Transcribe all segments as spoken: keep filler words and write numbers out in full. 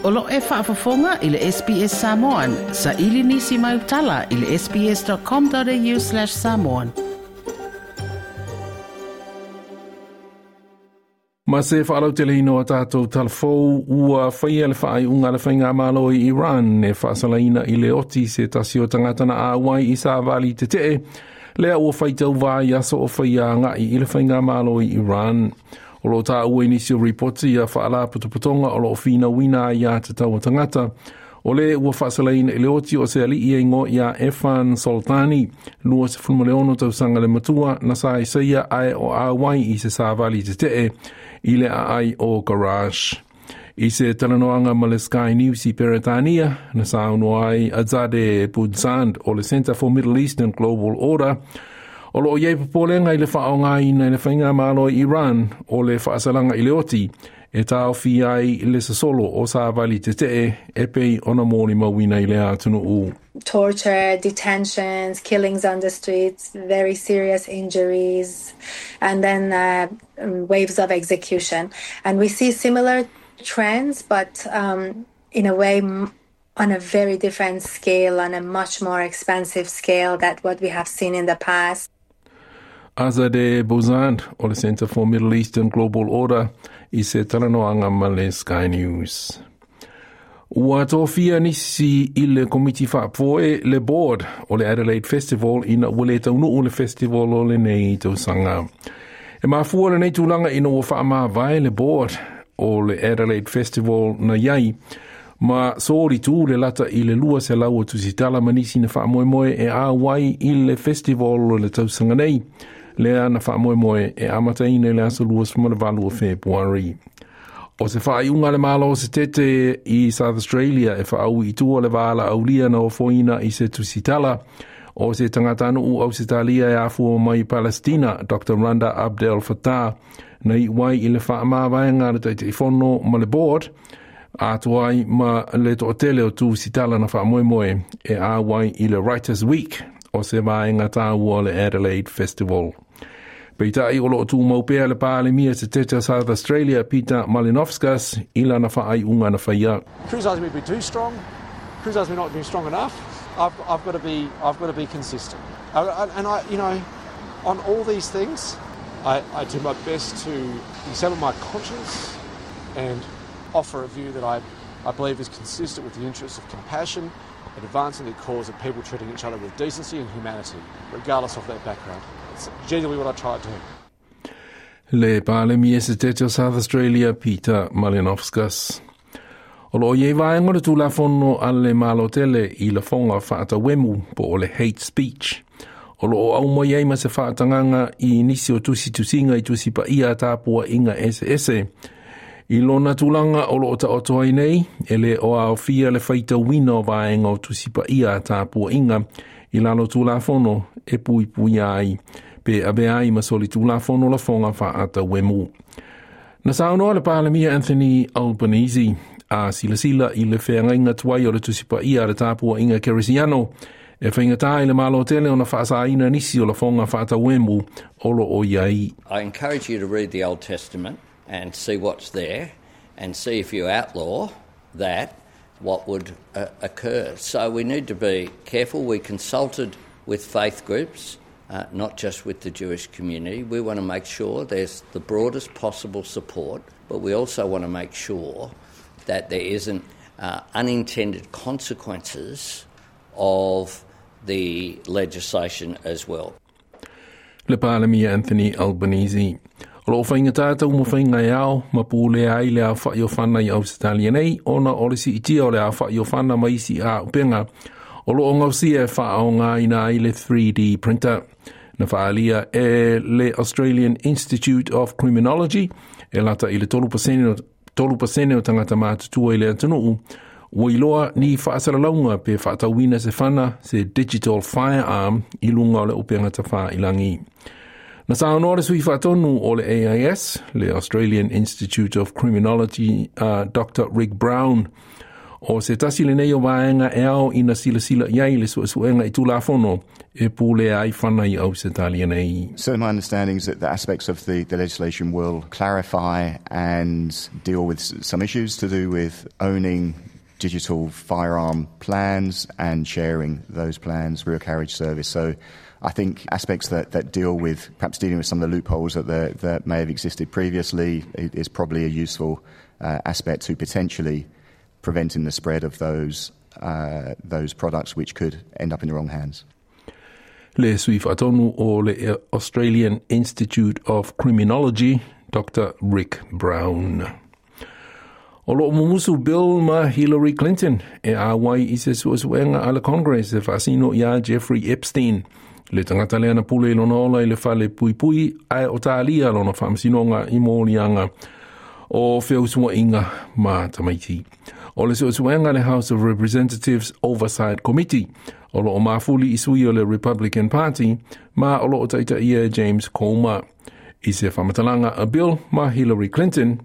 O lo e faafofoga i le S B S Samoan, sa ili nisi mai utala i le S B S dot com dot A U slash samoan. Ma se faalauteleina o tatou talafou, ua faia le faaiuga le faigamalo i Iran e faasalaina i le oti se tasi o tagata na auai i savali tetee, lea ua faitauvā i aso o faia agai i le faigamalo i Iran. O lo o taua i nisi o ripoti a faalapotopotoga o lo o finauina aiā tatau a tagata, o le ua faasalaina i le oti o se alii e igoa ia Erfan Soltani, lua sefulu ma le ono tausaga le matua, na sa isaia ae o auai i se savali tetee i le aai o Karaj. I se talanoaga ma le Sky News i Peretania, na saunoa ai Azadeh Pourzand o le Center for Middle Eastern Global Order, o lo o iai popolega i le faaaogaina e le faigamalo i Iran o le faasalaga i le oti e taofi ai le sosolo o savali tetee e pei ona molimauina i le atunuu. Torture, detentions, killings on the streets, very serious injuries, and then uh, waves of execution. And we see similar trends, but um, in a way, on a very different scale, on a much more expansive scale than what we have seen in the past. Azadeh Pourzand o le Center for Middle Eastern Global Order i se talanoaga ma le Sky News. Ua tofia nisi i le komiti faafoe le board o le Adelaide Festival ina ua le taunuu le festival o lenei tausaga. E mafua lenei tulaga ina ua faamavae le board o le Adelaide Festival na iai ma soli tu le lata i le lua selau o tusitala ma nisi na faamoemoe e auai i le festival o le tausaga nei, lea na faamoemoe e amataina i le aso lua ma le valu o Fepuari. O se faaiuga le malo se tete i South Australia e faaui i tua le valaaulia na ofoina i se tusitala o se tagatanuu Ausetalia e afua mai Palestina, Doctor Randa Abdel Fattah, na iu ai i le faamavaega le Taitaifono ma le board, atoa ai ma le toatele o tusitala na faamoemoe e auai i le Writers Week o se vaega taua o le Adelaide Festival. Peitai o lo o tumau pea le Palemia se tete South Australia Peter Malinauskas i lana faaiuga na faia. Criticise me be too strong, criticise me not being strong enough. I've, I've got to be I've got to be consistent. I, I, and I, you know, on all these things, I, I do my best to examine my conscience and offer a view that I, I believe is consistent with the interests of compassion and advancing the cause of people treating each other with decency and humanity, regardless of their background. It's genuinely what I try to do. Le Palemia se tete o South Australia Peter Malinauskas. O lo o iai vaega o le tulafono a le Malotele i lafoga faatauemu po o le hate speech. O lo o aumai ai ma se faatagaga i nisi o tusitusiga i tusi paia a tapuaiga eseese. I lona tulaga o lo o taoto ai nei, e le o aofia le faitauina o vaega o tusi paia a tapuaiga i lalo tulafono e puipuia ai, pe avea ai ma solitulafono lafoga faatauemu. Na saunoa le Palemia Anthony Albanese a silasila i le feagaiga tuai o le tusi paia a le tapuaiga kerisiano, e faigata i le malo tele ona faasaina nisi o lafoga faatauemu o lo o iai. I encourage you to read the Old Testament and see what's there and see if you outlaw that, what would uh, occur. So we need to be careful. We consulted with faith groups, uh, not just with the Jewish community. We want to make sure there's the broadest possible support, but we also want to make sure that there isn't uh, unintended consequences of the legislation as well. Le Palemia Anthony Albanese. O lo o faigata taumafaiga e ao ma pulea ai le aofa'i o fana i Ausetalia nei ona o le siitia o le aofa'i o fana ma isi auupega o lo o gausia e faaaogaina ai le three D printer. Na faaalia e le Australian Institute of Criminology e lata i le tolu pasene o tagata matutua i le atunuu ua iloa ni faasalalauga pe faatauina se fana se digital firearm i luga o le upega tafailagi. Na saunoa le sui faatonu o le A I S, le Australian Institute of Criminology, uh, Doctor Rick Brown, O se tasi lenei o vaega e ao ina silasila i ai le suesuega i Tulafono e pulea ai fana i Ausetalia nei. So my understanding is that the aspects of the, the legislation will clarify and deal with some issues to do with owning digital firearm plans and sharing those plans, rear carriage service. So I think aspects that, that deal with perhaps dealing with some of the loopholes that, the, that may have existed previously is probably a useful uh, aspect to potentially preventing the spread of those, uh, those products which could end up in the wrong hands. Le sui faatonu o le Australian Institute of Criminology, Doctor Rick Brown. O loo mumusu Bill ma Hillary Clinton e auai i se suesuega a le Congress e faasino iā Jeffrey Epstein, le tagata lea na pule i lona ola i le fale puipui ae o talia lona faamasinoga i moliaga o feusuaiga ma tamaiti. O le suesuega le House of Representatives Oversight Committee o loo mafuli i sui o le Republican Party ma o loo taitaia James Comer. I se faamatalaga a Bill ma Hillary Clinton,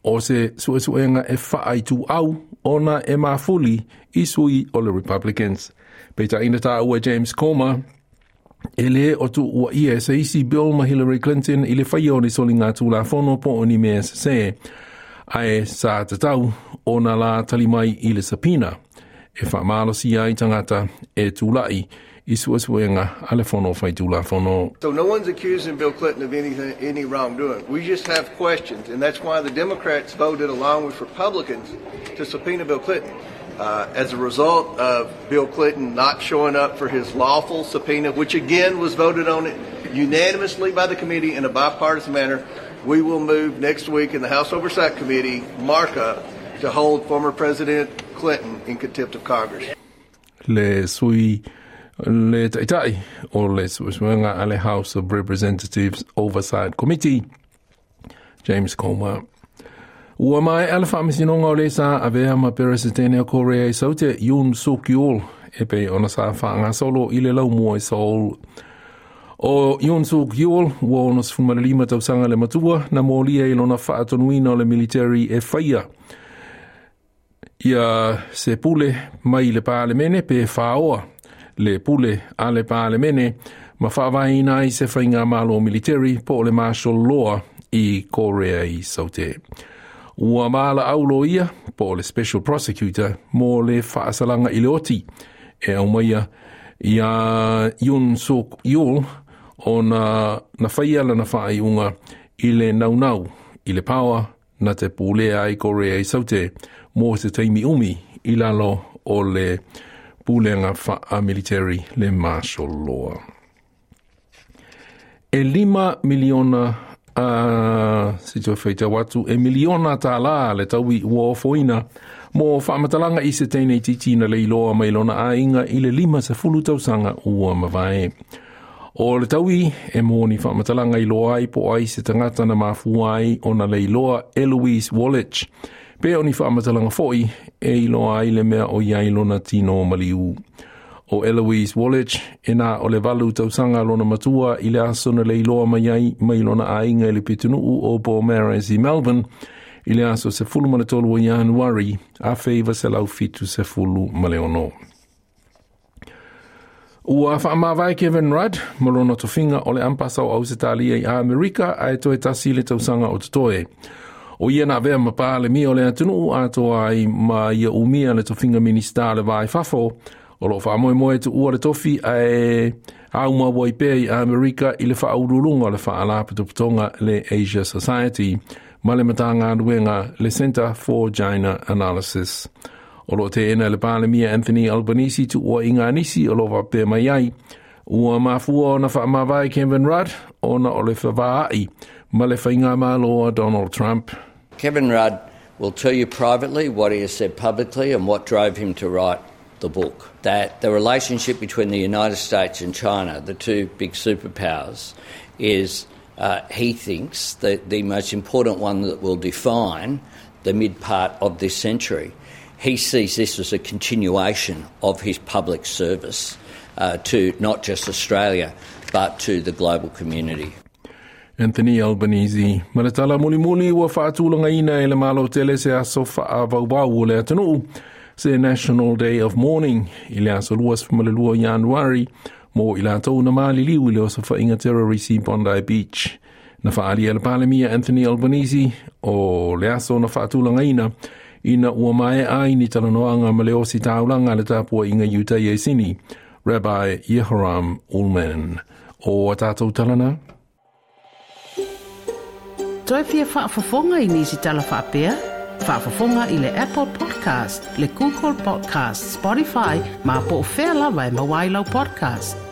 o se suesuega e faaituau ona e mafuli i sui o le Republicans. Peitai na taua James Comer, e lē o tuuaia e se isi Bill ma Hillary Clinton i le faia o ni soliga tulafono po o ni mea sesē, ae sa tatau ona la tali mai i le subpoena e faamalosia ai tagata e tulai i suesuega a le fono faitulafono. So no one's accusing Bill Clinton of anything, any wrongdoing. We just have questions, and that's why the Democrats voted along with Republicans to subpoena Bill Clinton. Uh, as a result of Bill Clinton not showing up for his lawful subpoena, which again was voted on unanimously by the committee in a bipartisan manner, we will move next week in the House Oversight Committee markup to hold former President Clinton in contempt of Congress. Le sui le taitai o le suesuega a le House of Representatives Oversight Committee, James Comer. Ua maea le faamasinoga o le sa avea ma Peresetene o Korea i Saute Yoon Suk Yeol e pei ona sa faagasolo i le laumua i Seoul. O Yoon Suk Yeol ua ono sefulu ma le lima tausaga le matua na molia i lona faatonuina o le military e faia ia se pule mai le palemene pe faoa le pule a le palemene ma faavaeina ai se faigamalo military po o le martial law i Korea i Saute. Ua valaau loia po o le special prosecutor mo le faasalaga i le oti e aumaia ia Yoon Suk Yeol ona na faia lana faaiuga i le naunau i le power na te pulea ai Korea i Saute mo se taimi umi i lalo o le pulega faa-military le martial law. E lima miliona uh, se toe faitau atu, e miliona tālā le taui ua ofoina mo faamatalaga i se teine itiiti na leiloa mai lona aiga i le lima sefulu tausaga ua mavae. O le taui e mo ni faamatalaga iloa ai po o ai se tagata na mafua ai ona leiloa Eloise Wallich. Pe o ni faamatalaga foi e iloa ai le mea o i ai lona tino maliu. O Eloise Wallich e na o le valu tausaga lona matua i le aso na leiloa mai ai mai lona aiga i le pitonuu o Beaumaris i Melbourne i le aso sefulu ma le tolu o Ianuari afe iva selau fitu sefulu ma le ono. Ua faamavae Kevin Rudd ma lona tofiga o le ampasa o Ausetalia i Amerika ae toe tasi le tausaga o totoe. O ia na avea ma palemia o le atunuu atoa ai ma ia umia le tofiga Minista le Va i Fafo o loo faamoemoe tuua le tofi ae aumau ai pea i Amerika i le faauluuluga o le faalapotopotoga le Asia Society ma le Matagaluega le Center for China Analysis. O loo teena le Palemia Anthony Albanese tuuaiga a nisi o loo faapea mai ai. Ua mafua ona faamavae Kevin Rudd ona o le fevaai ma le faigamalo a Donald Trump. Kevin Rudd will tell you privately what he has said publicly and what drove him to write the book. That the relationship between the United States and China, the two big superpowers, is, uh, he thinks, the, the most important one that will define the mid part of this century. He sees this as a continuation of his public service uh, to not just Australia, but to the global community. Anthony Albanese. Ma le tala mulimuli ua faatulagaina e le Malo tele se aso faavauvau o le atunuu se National Day of Mourning i le aso luasefulu ma le lua o Ianuari mo i latou na maliliu i le osofaiga terrorisi Bondi Beach. Na faaalia e le Palemia Anthony Albanese o le aso na faatulagaina ina ua maea ai ni talanoaga ma le ositaulaga a le tapuaiga Iutaia i Sini, Rabbi Yehoram Ulman. O a tatou tala na? Toe fia faafofoga i nisi tala faapea? Faafofoga i le Apple Podcast, le Google Podcast, Spotify, ma po o fea lava e maua ai lau podcast.